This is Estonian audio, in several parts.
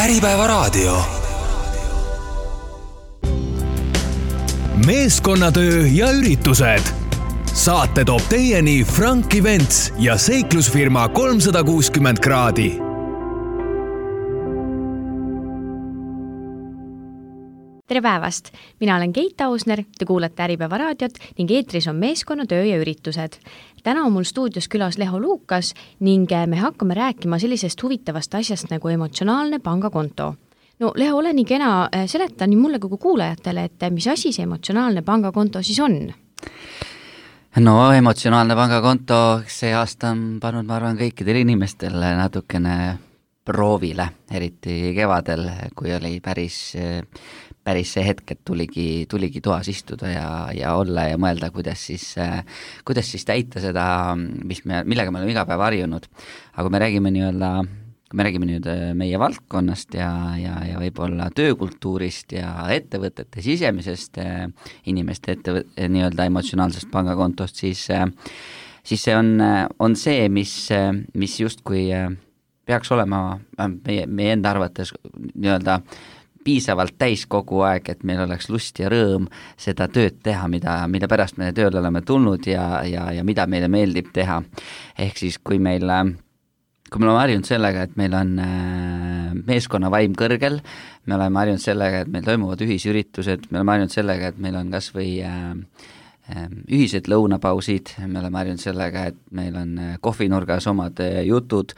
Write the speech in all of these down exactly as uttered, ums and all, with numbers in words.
Äripäevaraadio. Meeskonnatöö ja üritused. Saate toob teieni Frank Events ja seiklusfirma kolmsada kuuskümmend kraadi. Tere päevast! Mina olen Keit Ausner, te kuulate Äripäevaraadiot ning eetris on meeskonnatöö ja üritused. Täna on mul stuudios külas Leho Luukas ning me hakkame rääkima sellisest huvitavast asjast nagu emotsionaalne pangakonto. No Leho, ole nii kena, seleta nii mulle kui kuulajatele, et mis asi see emotsionaalne pangakonto siis on? No emotsionaalne pangakonto see aasta on pannud, ma arvan, kõikidel inimestel natukene proovile, eriti kevadel, kui oli päris, päris see hetk, et tuligi, tuligi toas istuda ja, ja olla ja mõelda, kuidas siis, kuidas siis täita seda, mis me, millega me oleme iga päev harjunud. Aga me räägime nii-öelda, kui me räägime nüüd meie valdkonnast ja, ja, ja võib-olla töökultuurist ja ettevõtete sisemisest inimeste ettevõt, nii-öelda emotsionaalsest pangakontost, siis, siis see on, on see, mis, mis justkui peaks olema meie, meie enda arvates nii-öelda piisavalt täis kogu aeg, et meil oleks lust ja rõõm seda tööd teha, mida, mida pärast me tööle oleme tulnud ja, ja, ja mida meile meeldib teha. Ehk siis, kui meil, kui me oleme harjunud sellega, et meil on meeskonna vaim kõrgel, me oleme harjunud sellega, et meil toimuvad ühisüritused, me oleme harjunud sellega, et meil on kas või ühised lõunapausid, me oleme harjunud sellega, et meil on kohvinurgas omad jutud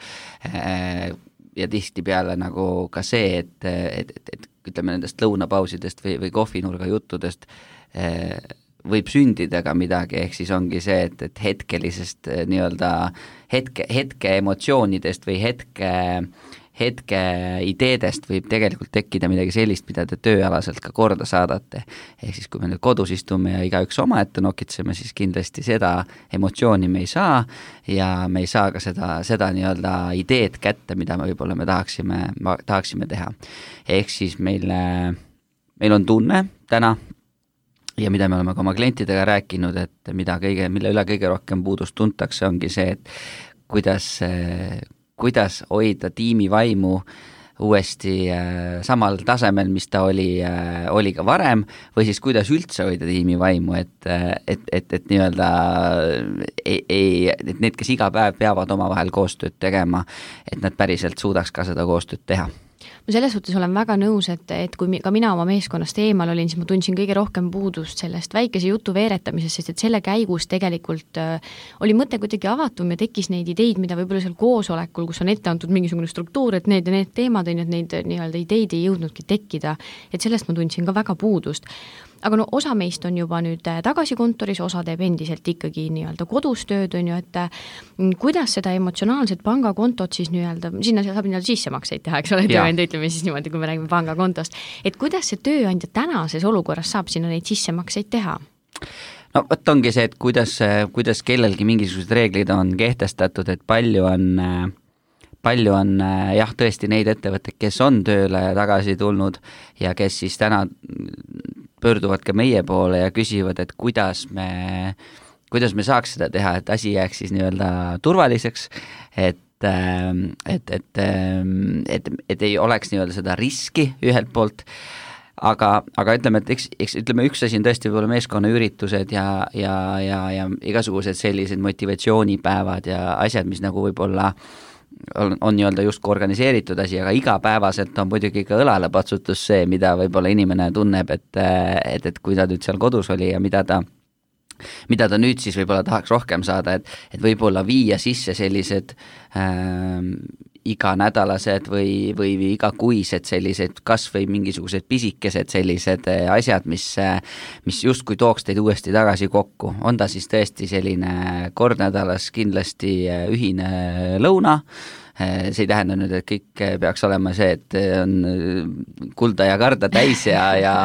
ja tihti peale nagu ka see, et, et, et, et ütleme nendest lõunapausidest või, või kohvinurga juttudest võib sündida ka midagi, ehk siis ongi see, et, et hetkelisest nii-öelda hetke, hetke emotsioonidest või hetke hetke ideedest võib tegelikult tekkida midagi sellist, mida te tööalaselt ka korda saadate. Ehk siis, kui me nüüd kodus istume ja igaüks oma ette nokitseme, siis kindlasti seda emotsiooni me ei saa ja me ei saa ka seda, seda nii-öelda ideed kätte, mida me võib-olla me tahaksime, tahaksime teha. Ehk siis meil, meil on tunne täna ja mida me oleme ka oma klientidega rääkinud, et mida kõige, mille üle kõige rohkem puudust tuntakse, ongi see, et kuidas kuidas hoida tiimi vaimu uuesti äh, samal tasemel, mis ta oli, äh, oli ka varem, või siis kuidas üldse hoida tiimi vaimu, et, et, et, et nii-öelda ei, ei, et need, kes iga päev peavad omavahel koostööd tegema, et nad päriselt suudaks ka seda koostööd teha. Ma selles suhtes olen väga nõus, et, et kui ka mina oma meeskonnast eemal olin, siis ma tundsin kõige rohkem puudust sellest väikese jutu veeretamisest, sest et selle käigus tegelikult äh, oli mõte kuidagi avatum ja tekkis neid ideid, mida võib-olla seal koosolekul, kus on ette antud mingisugune struktuur, et need ja need teemad on, et neid nii-öelda ideid ei jõudnudki tekkida, et sellest ma tundsin ka väga puudust. Aga no osa meist on juba nüüd tagasi kontoris, osa teeb endiselt ikkagi nii-öelda kodus tööd, on ju, et kuidas seda emotsionaalset pangakontot siis nii-öelda, sinna saab nii-öelda sissemakseid teha, eks ole, tööandja, ütleme siis niimoodi, kui me räägime pangakontost, et kuidas see tööandja tänases olukorras saab sinna neid sissemakseid teha? No võt ongi see, et kuidas, kuidas kellelgi mingisugused reeglid on kehtestatud, et palju on palju on jah, tõesti neid ettevõtteid, kes on tööle tagasi tulnud ja kes siis täna pöörduvad ka meie poole ja küsivad, et kuidas me, kuidas me saaks seda teha, et asi jääks siis nii-öelda turvaliseks, et et, et, et, et ei oleks nii-öelda seda riski ühelt poolt, aga, aga ütleme, et eks, eks, ütleme, üks asi on tõesti võib-olla meeskonnaüritused ja, ja, ja, ja igasugused sellised motivatsioonipäevad ja asjad, mis nagu võib-olla on, on nii-öelda justkui organiseeritud asi, aga igapäevaselt on muidugi ka õlalepatsutus see, mida võib-olla inimene tunneb, et, et, et kui ta nüüd seal kodus oli ja mida ta mida ta nüüd siis võib-olla tahaks rohkem saada, et, et võib-olla viia sisse sellised äh, iganädalased või, või igakuised sellised kas või mingisugused pisikesed sellised asjad, mis, mis justkui tooks teid uuesti tagasi kokku. On ta siis tõesti selline kord nädalas kindlasti ühine lõuna, see ei tähenda nüüd, et kõik peaks olema see, et on kulda ja karda täis ja, ja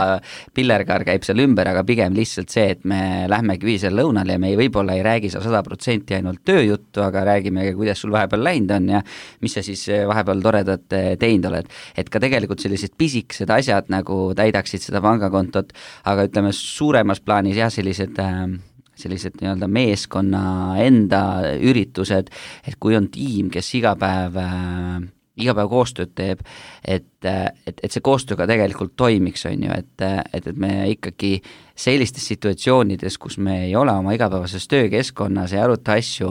pillerkaar käib seal ümber, aga pigem lihtsalt see, et me lähmegi ühisel lõunal ja me ei, võib-olla ei räägi seal sada protsenti ainult tööjuttu, aga räägime, kuidas sul vahepeal läinud on ja mis sa siis vahepeal toredat teinud oled. Et ka tegelikult sellised pisikesed asjad nagu täidaksid seda pangakontot, aga ütleme suuremas plaanis jah, sellised sellised nii-öelda meeskonna enda üritused, et kui on tiim, kes iga päev iga päev koostööd teeb, et, et, et see koostöö ka tegelikult toimiks, on ju, et, et, et me ikkagi sellistes situatsioonides, kus me ei ole oma igapäevases töökeskkonnas, ei aruta asju,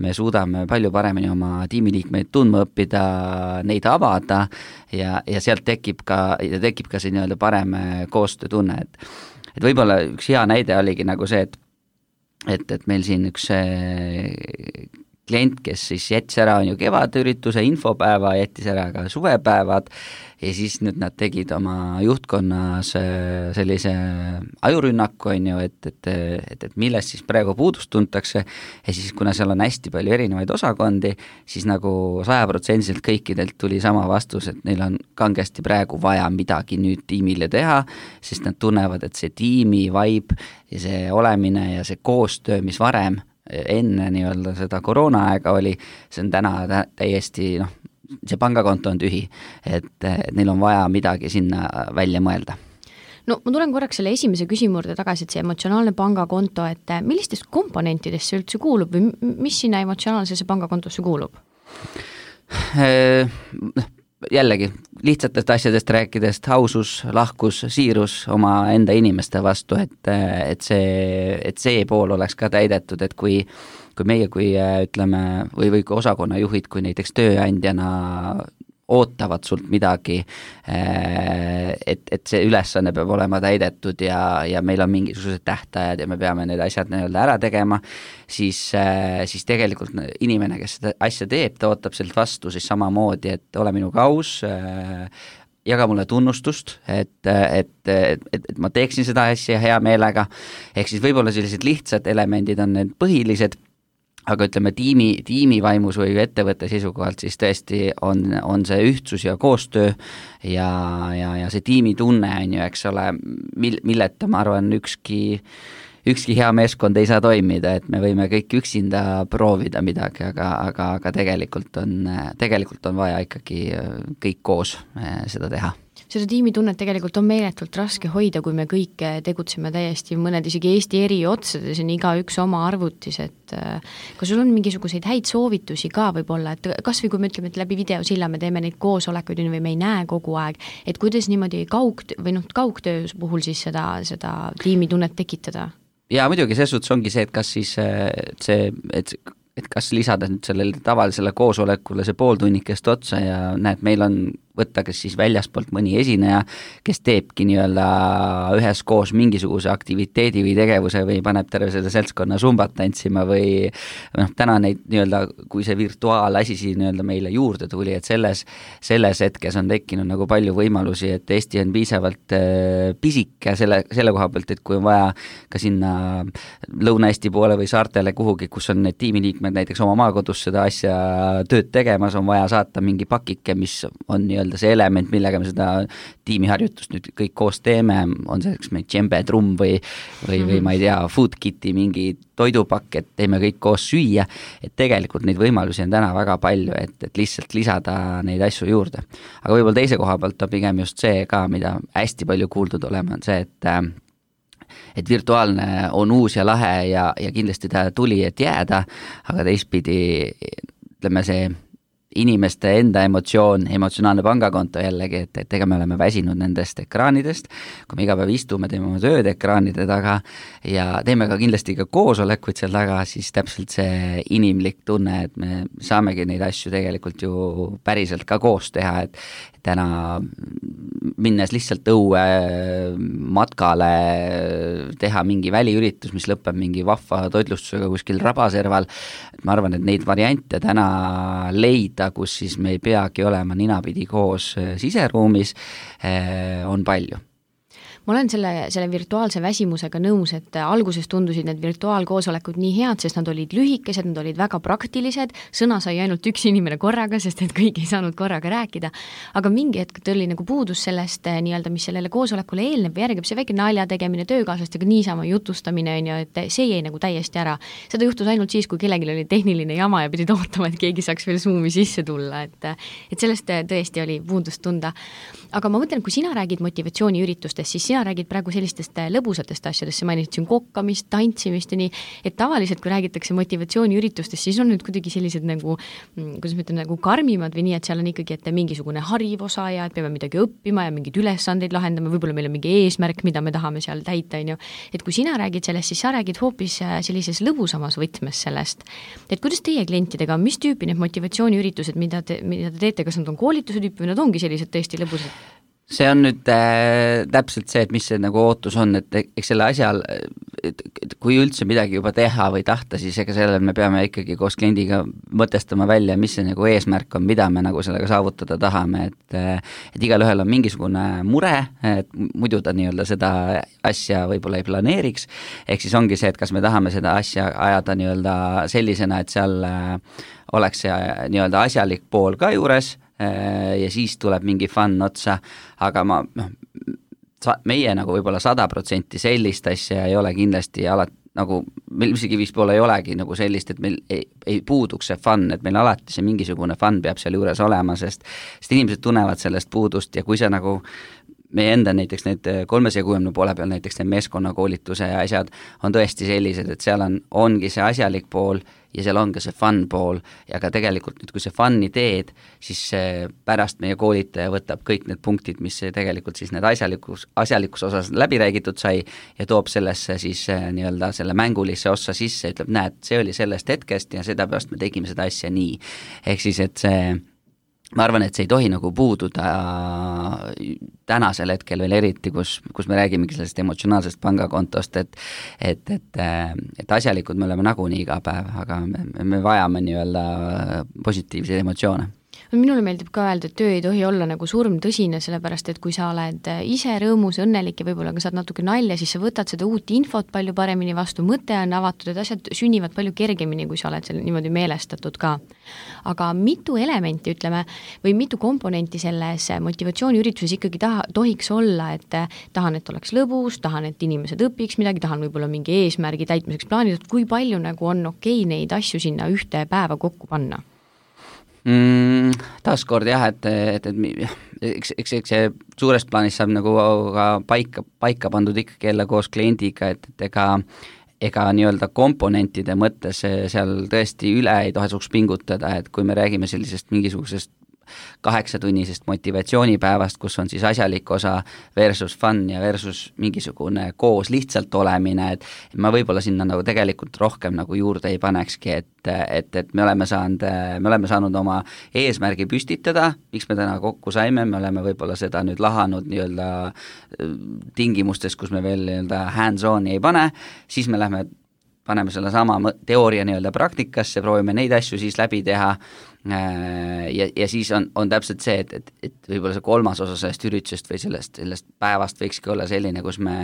me suudame palju paremini oma tiimiliikmeid tundma õppida, neid avada ja, ja sealt tekib ka, ja tekib ka see nii-öelda parem koostöötunne, et, et võib-olla üks hea näide oligi nagu see, et, et, et meil siin üks klient, kes siis jättis ära on ju kevadürituse infopäeva, jättis ära ka suvepäevad ja siis nüüd nad tegid oma juhtkonnas sellise ajurünnaku, on ju, et, et, et, et millest siis praegu puudust tuntakse ja siis kuna seal on hästi palju erinevaid osakondi, siis nagu sajaprotsendiliselt kõikidelt tuli sama vastus, et neil on kangesti praegu vaja midagi nüüd tiimile teha, sest nad tunnevad, et see tiimi vibe ja see olemine ja see koostöö, mis varem enne nii-öelda seda koroona aega oli, see on täna täiesti, noh, see pangakonto on tühi, et, et neil on vaja midagi sinna välja mõelda. No ma tulen korraks selle esimese küsimurde tagasi, et see emotsionaalne pangakonto, et millistest komponentidest see üldse kuulub või mis sinna emotsionaalsesse pangakontosse kuulub? Jällegi, lihtsatest asjadest rääkides, ausus, lahkus, siirus oma enda inimeste vastu, et, et, see, et see pool oleks ka täidetud, et kui, kui meie, kui ütleme, või, või kui osakonnajuhid, kui näiteks tööandjana ootavad sult midagi, et, et see ülesanne peab olema täidetud ja, ja meil on mingisugused tähtajad ja me peame need asjad nii-öelda ära tegema, siis, siis tegelikult inimene, kes seda asja teeb, ta ootab sealt vastu siis samamoodi, et ole minuga aus, jaga mulle tunnustust, et, et, et, et ma teeksin seda asja hea meelega, ehk siis võib-olla sellised lihtsad elemendid on need põhilised, aga ütleme tiimi, tiimi vaimus või ettevõtte seisukohalt siis tõesti on, on see ühtsus ja koostöö ja, ja, ja see tiimitunne on ju, eks ole, mil, milleta ma arvan ükski, ükski hea meeskond ei saa toimida, et me võime kõik üksinda proovida midagi, aga, aga, aga tegelikult on, tegelikult on vaja ikkagi kõik koos seda teha. Seda tiimitunnet tegelikult on meeletult raske hoida, kui me kõik tegutseme täiesti mõned isegi Eesti eri otsades ja iga üks oma arvutis, et kas sul on mingisuguseid häid soovitusi ka võib-olla, et kas või kui me ütleme, et läbi videosilla me teeme neid koosolekuid või me ei näe kogu aeg, et kuidas niimoodi kaug, või noh, kaugtöö puhul siis seda, seda tiimitunnet tekitada? Ja muidugi selles suhtes ongi see, et kas siis see, et et kas lisada nüüd sellele tavalisele koosolekule see pooltunnikest otsa ja näed, meil on võtta kas siis väljaspoolt mõni esineja, kes teebki nii-öelda üheskoos mingisuguse aktiviteedi või tegevuse või paneb terve selle seltskonna sumbat tantsima või noh, täna neid nii-öelda, kui see virtuaalasi siin nii-öelda meile juurde tuli, et selles, selles hetkes on tekkinud nagu palju võimalusi, et Eesti on piisavalt äh, pisike selle, selle koha pealt, et kui on vaja ka sinna Lõuna-Eesti poole või saartele kuhugi, kus on need tiimiliikmed näiteks oma maakodus seda asja tööd tegemas, on vaja saata mingi pakike, mis on nii see element, millega me seda tiimiharjutust nüüd kõik koos teeme, on selleks meil džembe, trumm või, või, või ma ei tea, food kit'i mingi toidupakk, et teeme kõik koos süüa, et tegelikult neid võimalusi on täna väga palju, et, et lihtsalt lisada neid asju juurde. Aga võib-olla teise koha pealt on pigem just see ka, mida hästi palju kuuldud olema, on see, et et virtuaalne on uus ja lahe ja, ja kindlasti ta tuli, et jääda, aga teistpidi ütleme see inimeste enda emotsioon, emotsionaalne pangakonto jällegi, et, et ega me oleme väsinud nendest ekraanidest, kui me iga päev istume, teeme oma tööd ekraanide taga ja teeme ka kindlasti ka koosolekuid seal taga, siis täpselt see inimlik tunne, et me saamegi neid asju tegelikult ju päriselt ka koos teha, et täna minnes lihtsalt õue matkale, teha mingi väliüritus, mis lõpeb mingi vahva toitlustusega kuskil rabaserval, ma arvan, et neid variante täna leida, kus siis me ei peagi olema ninapidi koos siseruumis, on palju. Ma olen selle, selle virtuaalse väsimusega nõus, et alguses tundusid need virtuaalkoosolekud nii head, sest nad olid lühikesed, nad olid väga praktilised, sõna sai ainult üks inimene korraga, sest et kõik ei saanud korraga rääkida, aga mingi hetk tuli nagu puudus sellest nii-öelda, mis sellele koosolekule eelneb või järgib see väike nalja tegemine, töökaaslastega niisama jutustamine, on ju, et see jäi nagu täiesti ära. Seda juhtus ainult siis, kui kellelgi oli tehniline jama ja pidid ootama, et keegi saaks veel Zoomi sisse tulla, et, et sellest tõesti oli puudust tunda. Aga ma mõtlen, kui sina räägid motivatsiooniüritustest, siis sina räägid praegu sellistest lõbusatest asjadest, sa mainisid siin kokkamist, tantsimist ja nii, et tavaliselt, kui räägitakse motivatsiooniüritustest, siis on nüüd kuidagi sellised nagu, kuidas ma ütlen, nagu karmimad või nii, et seal on ikkagi, et mingisugune hariv osa ja et peame midagi õppima ja mingeid ülesandeid lahendama, võib-olla meil on mingi eesmärk, mida me tahame seal täita, on ju. Et kui sina räägid sellest, siis sa räägid hoopis sellises lõbusamas võtmes sellest. Et kuidas teie klientidega, mis tüüpi need motivatsiooniüritused, mida te, mida te teete, kas nad on koolituse tüüpi või nad ongi sellised tõesti lõbusad? See on nüüd äh, täpselt see, et mis see nagu ootus on, et eks selle asjal, et kui üldse midagi juba teha või tahta, siis ega sellel me peame ikkagi koos kliendiga mõtestama välja, mis see nagu eesmärk on, mida me nagu sellega saavutada tahame, et et igal ühel on mingisugune mure, et muidu ta nii-öelda seda asja võib-olla ei planeeriks, ehk siis ongi see, et kas me tahame seda asja ajada nii-öelda sellisena, et seal oleks see nii-öelda asjalik pool ka juures, ja siis tuleb mingi fun otsa, aga ma, noh, meie nagu võib-olla sada protsenti sellist asja ei ole kindlasti alati, nagu meil isegi vist poole ei olegi nagu sellist, et meil ei, ei puuduks see fun, et meil alati see mingisugune fun peab seal juures olema, sest, sest inimesed tunnevad sellest puudust ja kui see nagu meie enda näiteks need kolmesaja kuuekümne poole peal näiteks need meeskonnakoolituse ja asjad on tõesti sellised, et seal on, ongi see asjalik pool ja seal on ka see fun pool ja ka tegelikult nüüd, kui see fun'i teed, siis pärast meie koolitaja võtab kõik need punktid, mis tegelikult siis need asjalikus, asjalikus osas läbi räägitud sai ja toob sellesse siis nii-öelda selle mängulisse ossa sisse, ütleb, näed, see oli sellest hetkest ja sedapärast me tegime seda asja nii. Ehk siis, et see ma arvan, et see ei tohi nagu puududa tänasel hetkel veel eriti, kus, kus me räägimegi sellest emotsionaalsest pangakontost, et, et, et, et asjalikud me oleme nagunii iga päev, aga me, me vajame nii-öelda positiivseid emotsioone. Minule meeldib ka öelda, et töö ei tohi olla nagu surm tõsine, sellepärast et kui sa oled ise rõõmus, õnnelik ja võib-olla ka saad natuke nalja, siis sa võtad seda uut infot palju paremini vastu, mõte on avatud, et asjad sünnivad palju kergemini, kui sa oled selle niimoodi meelestatud ka. Aga mitu elementi, ütleme, või mitu komponenti selles motivatsiooniürituses ikkagi taha, tohiks olla, et tahan, et oleks lõbus, tahan, et inimesed õpiks midagi, tahan võib-olla mingi eesmärgi täitmiseks plaanid, et kui palju nagu on okei neid asju sinna ühte päeva kokku panna? Mm, taaskord jah, et, et, et eks, eks, eks see suures plaanis saab nagu ka paika, paika pandud ikkagi jälle koos kliendiga, et, et ega, ega nii-öelda komponentide mõttes seal tõesti üle ei tohesuks pingutada, et kui me räägime sellisest mingisugusest kaheksatunnisest motivatsioonipäevast, kus on siis asjalik osa versus fun ja versus mingisugune koos lihtsalt olemine, et ma võib-olla sinna nagu tegelikult rohkem nagu juurde ei panekski, et, et, et me oleme saanud, me oleme saanud oma eesmärgi püstitada, miks me täna kokku saime, me oleme võib-olla seda nüüd lahanud nii-öelda tingimustes, kus me veel nii-öelda hands-on'i ei pane, siis me lähme paneme selle sama teooria nii-öelda praktikasse, proovime neid asju siis läbi teha ja, ja siis on, on täpselt see, et, et, et võib-olla see kolmas osa sellest üritusest või sellest, sellest päevast võikski olla selline, kus me,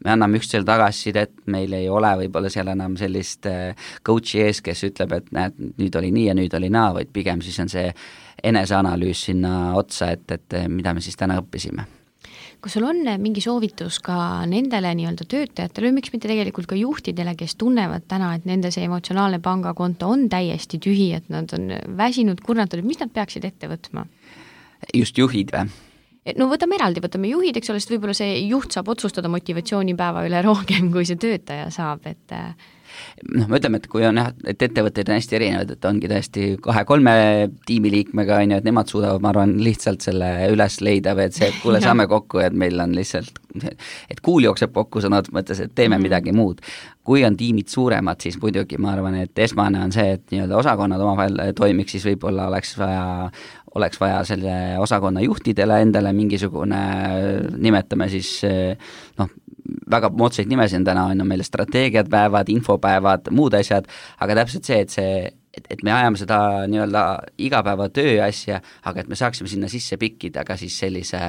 me anname üksteisele tagasisidet, meil ei ole võib-olla seal enam sellist coach'i ees, kes ütleb, et näed, nüüd oli nii ja nüüd oli naa, vaid pigem siis on see eneseanalüüs sinna otsa, et, et mida me siis täna õppisime. Kas sul on mingi soovitus ka nendele nii-öelda töötajatele või miks mitte tegelikult ka juhtidele, kes tunnevad täna, et nende see emotsionaalne pangakonto on täiesti tühi, et nad on väsinud, kurnatud, mis nad peaksid ette võtma? Just juhid või? No võtame eraldi, võtame juhid, eks ole, sest võib-olla see juht saab otsustada motivatsioonipäeva üle rohkem, kui see töötaja saab, et noh, me ütleme, et kui on jah, et ettevõtteid on hästi erinevad, et ongi tõesti kahe-kolme tiimiliikmega, on ju, et nemad suudavad, ma arvan, lihtsalt selle üles leida või et see, et kuule, saame kokku, et meil on lihtsalt, et kuul jookseb kokku sõnad mõttes, et teeme mm-hmm. midagi muud. Kui on tiimid suuremad, siis muidugi ma arvan, et esmane on see, et nii-öelda osakonnad omavahel toimiks, siis võib-olla oleks vaja oleks vaja selle osakonna juhtidele endale mingisugune, nimetame siis noh, väga moodsaid nimesid on täna, on meil strateegiad päevad, infopäevad, muud asjad, aga täpselt see, et see et, et me ajame seda nii-öelda igapäeva töö asja, aga et me saaksime sinna sisse pikkida ka siis sellise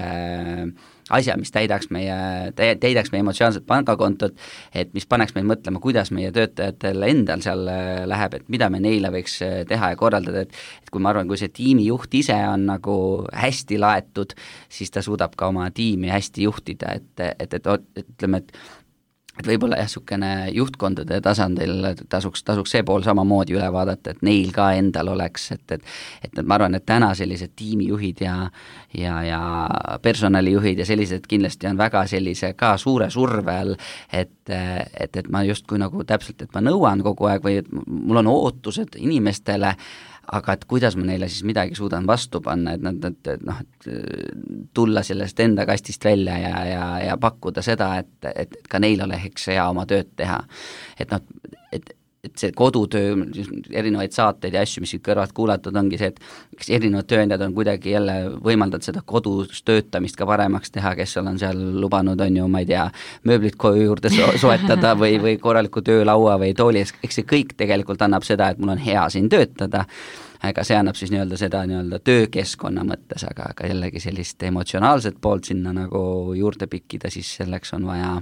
asja, mis täidaks meie, täidaks meie emotsionaalset pangakontot, et mis paneks meil mõtlema, kuidas meie töötajatel endal seal läheb, et mida me neile võiks teha ja korraldada, et, et kui ma arvan, kui see tiimijuht ise on nagu hästi laetud, siis ta suudab ka oma tiimi hästi juhtida, et, et, et, et ütleme, et et võib-olla jah, niisugune juhtkondade tasandil tasuks, tasuks see pool samamoodi üle vaadata, et neil ka endal oleks, et, et, et ma arvan, et täna sellised tiimijuhid ja, ja, ja personalijuhid ja sellised kindlasti on väga sellise ka suure surve all, et, et, et ma justkui nagu täpselt, et ma nõuan kogu aeg või et mul on ootused inimestele, aga et kuidas ma neile siis midagi suudan vastu panna, et nad, et, et noh, et tulla sellest enda kastist välja ja, ja, ja pakkuda seda, et, et ka neil oleks hea oma tööd teha. Et noh, et, et see kodutöö, erinevaid saateid ja asju, mis kõrvalt kuulatud, ongi see, et kes erinevad tööandjad on kuidagi jälle võimaldanud seda kodus töötamist ka paremaks teha, kes on seal lubanud, on ju, ma ei tea, mööblit koju juurde so soetada või, või korraliku töölaua või tooli, eks see kõik tegelikult annab seda, et mul on hea siin töötada, aga see annab siis nii-öelda seda nii-öelda töökeskkonna mõttes, aga, aga jällegi sellist emotsionaalset poolt sinna nagu juurde pikkida, siis selleks on vaja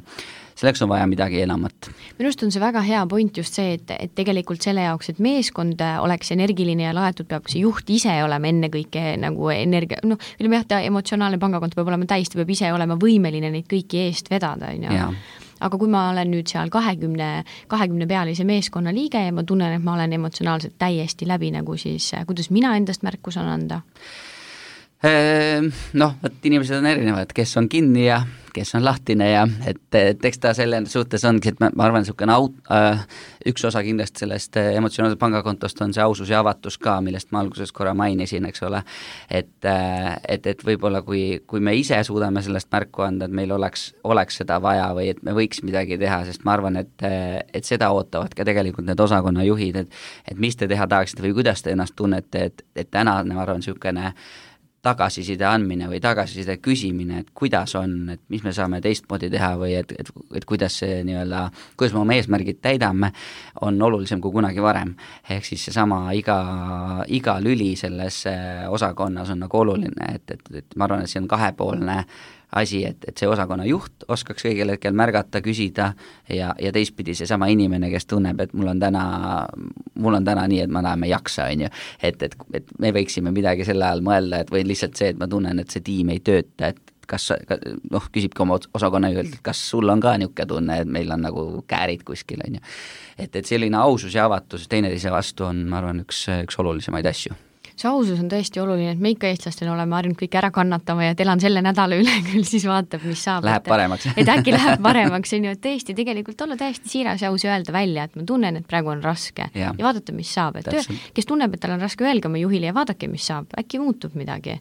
selleks on vaja midagi enamat. Minu arust on see väga hea point just see, et, et tegelikult selle jaoks, et meeskond oleks energiline ja laetud, peab see juht ise olema enne kõike nagu energia, noh, ütleme jah, ta emotsionaalne pangakond peab olema täis, ta peab ise olema võimeline neid kõiki eest vedada, on ju. Aga kui ma olen nüüd seal kahekümne, kahekümne pealise meeskonna liige ja ma tunnen, et ma olen emotsionaalselt täiesti läbi, nagu siis kuidas mina endast märku saan anda? Noh, et inimesed on erinevad, kes on kinni ja kes on lahtine ja et, et eks ta selle suhtes ongi, et ma, ma arvan, niisugune aut, äh, üks osa kindlasti sellest emotsionaalsest pangakontost on see ausus ja avatus ka, millest ma alguses korra mainisin, eks ole, et, et, et võib-olla kui, kui me ise suudame sellest märku anda, et meil oleks, oleks seda vaja või et me võiks midagi teha, sest ma arvan, et, et seda ootavad ka tegelikult need osakonna juhid, et, et mis te teha tahaksite või kuidas te ennast tunnete, et, et täna, ma arvan, niisugune tagasiside andmine või tagasiside küsimine, et kuidas on, et mis me saame teistmoodi teha või et, et, et kuidas see nii-öelda, kuidas me oma eesmärgid täidame, on olulisem kui kunagi varem. Ehk siis seesama iga, iga lüli selles osakonnas on nagu oluline, et, et, et ma arvan, et see on kahepoolne asi, et, et see osakonna juht oskaks õigel hetkel märgata, küsida ja, ja teistpidi seesama inimene, kes tunneb, et mul on täna, mul on täna nii, et ma näeme jaksa, on ju. Et, et, et me võiksime midagi selle ajal mõelda, et või lihtsalt see, et ma tunnen, et see tiim ei tööta, et kas, noh, küsibki oma osakonna juhelt, et kas sul on ka niisugune tunne, et meil on nagu käärid kuskil, on ju. Et, et selline ausus ja avatus teineteise vastu on, ma arvan, üks, üks olulisemaid asju. See ausus on tõesti oluline, et me ikka eestlastena oleme harjunud kõik ära kannatama ja et elan selle nädala üle küll, siis vaatab, mis saab. Läheb et, paremaks. et äkki läheb paremaks, on ju, et tõesti tegelikult olla täiesti siiras ja aus ja öelda välja, et ma tunnen, et praegu on raske ja, ja vaadata, mis saab. Et töö, kes tunneb, et tal on raske, öelge oma juhile ja vaadake, mis saab, äkki muutub midagi.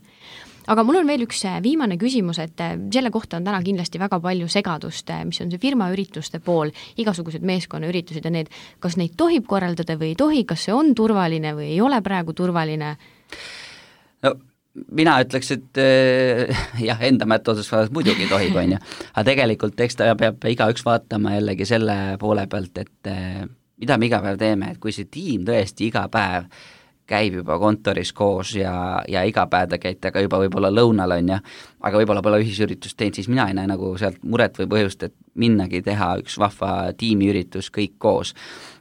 Aga mul on veel üks viimane küsimus, et selle kohta on täna kindlasti väga palju segadust, mis on see firmaürituste pool, igasugused meeskonnaüritused ja need, kas neid tohib korraldada või ei tohi, kas see on turvaline või ei ole praegu turvaline? No mina ütleks, et äh, jah, enda mättoosus muidugi tohib, on ju. Aga tegelikult eks ta peab igaüks vaatama jällegi selle poole pealt, et äh, mida me iga päev teeme, et kui see tiim tõesti iga päev käib juba kontoris koos ja, ja iga päev ta käite ka juba võib-olla lõunal, on ja, aga võib-olla pole ühisüritust teinud, siis mina ei näe nagu sealt muret või põhjust, et minnagi teha üks vahva tiimiüritus kõik koos.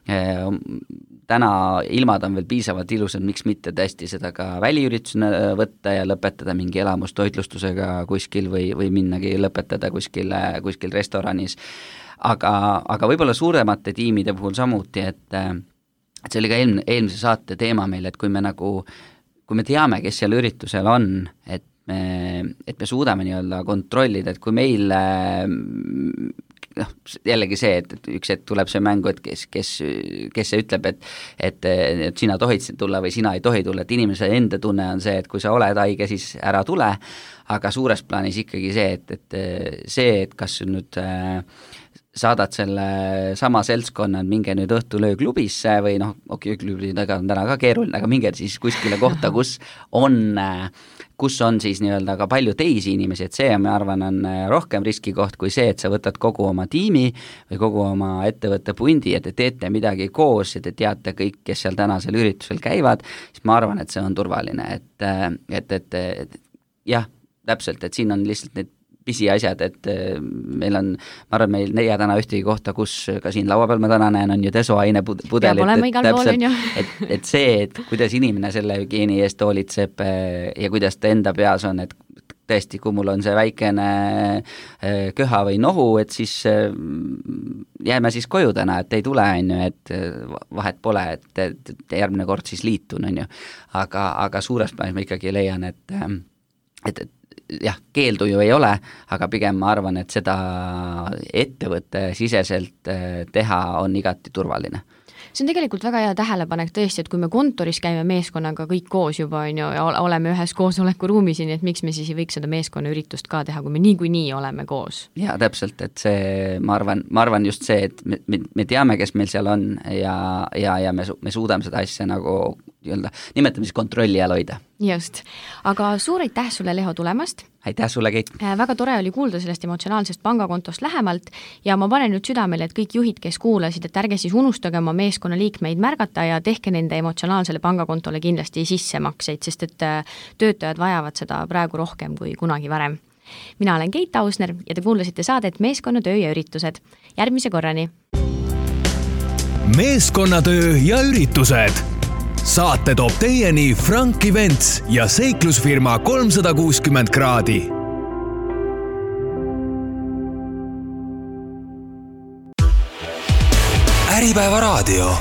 Täna ilmad on veel piisavalt ilusad, miks mitte tõesti seda ka väliüritusena võtta ja lõpetada mingi elamustoitlustusega kuskil või, või minnagi lõpetada kuskil, kuskil restoranis. Aga, aga võib-olla suuremate tiimide puhul samuti, et et see oli ka eelm, eelmise saate teema meil, et kui me nagu, kui me teame, kes seal üritusel on, et me, et me suudame nii-öelda kontrollida, et kui meil noh, jällegi see, et, et üks hetk tuleb see mängu, et kes, kes, kes see ütleb, et, et, et sina tohid tulla või sina ei tohi tulla, et inimese enda tunne on see, et kui sa oled haige, siis ära tule, aga suures plaanis ikkagi see, et, et see, et kas nüüd äh, saadad selle sama seltskonna, minge nüüd õhtulöö klubisse või noh, okei, klubidega on täna ka keeruline, aga minge siis kuskile kohta, kus on, kus on siis nii-öelda ka palju teisi inimesi, et see, ma arvan, on rohkem riskikoht kui see, et sa võtad kogu oma tiimi või kogu oma ettevõtte pundi ja te teete midagi koos ja te teate kõik, kes seal tänasel üritusel käivad, siis ma arvan, et see on turvaline, et, et, et, et jah, täpselt, et siin on lihtsalt need pisiasjad, et meil on, ma arvan, meil neia täna ühtegi kohta, kus ka siin laua peal ma täna näen, on ju desoaine pudelit, peab olema igal pool, on ju. et, et see, et kuidas inimene selle hügieeni eest hoolitseb ja kuidas ta enda peas on, et tõesti, kui mul on see väikene köha või nohu, et siis jääme siis koju täna, et ei tule, on ju, et vahet pole, et, et järgmine kord siis liitun, on ju. Aga, aga suures plaanis ma ikkagi leian, et, et, et jah, keeldu ju ei ole, aga pigem ma arvan, et seda ettevõtte siseselt teha on igati turvaline. See on tegelikult väga hea tähelepanek tõesti, et kui me kontoris käime meeskonnaga kõik koos juba on ju, ja oleme ühes koosolekuruumis, nii et miks me siis ei võiks seda meeskonna üritust ka teha, kui me niikuinii oleme koos. Jaa, täpselt, et see, ma arvan, ma arvan just see, et me, me, me teame, kes meil seal on ja, ja, ja me, me suudame seda asja nagu nii-öelda, nimetame siis kontrolli all hoida. Just, aga suur aitäh sulle, Leho, tulemast. Aitäh sulle, Keit. Väga tore oli kuulda sellest emotsionaalsest pangakontost lähemalt ja ma panen nüüd südamele, et kõik juhid, kes kuulasid, et ärge siis unustage oma meeskonna liikmeid märgata ja tehke nende emotsionaalsele pangakontole kindlasti sissemakseid, sest et töötajad vajavad seda praegu rohkem kui kunagi varem. Mina olen Keit Ausner ja te kuulasite saadet Meeskonnatöö ja üritused. Järgmise korrani. Meeskonnatöö ja üritused. Saate toob teieni Frank Events ja seiklusfirma kolmsada kuuskümmend kraadi. Äripäeva raadio.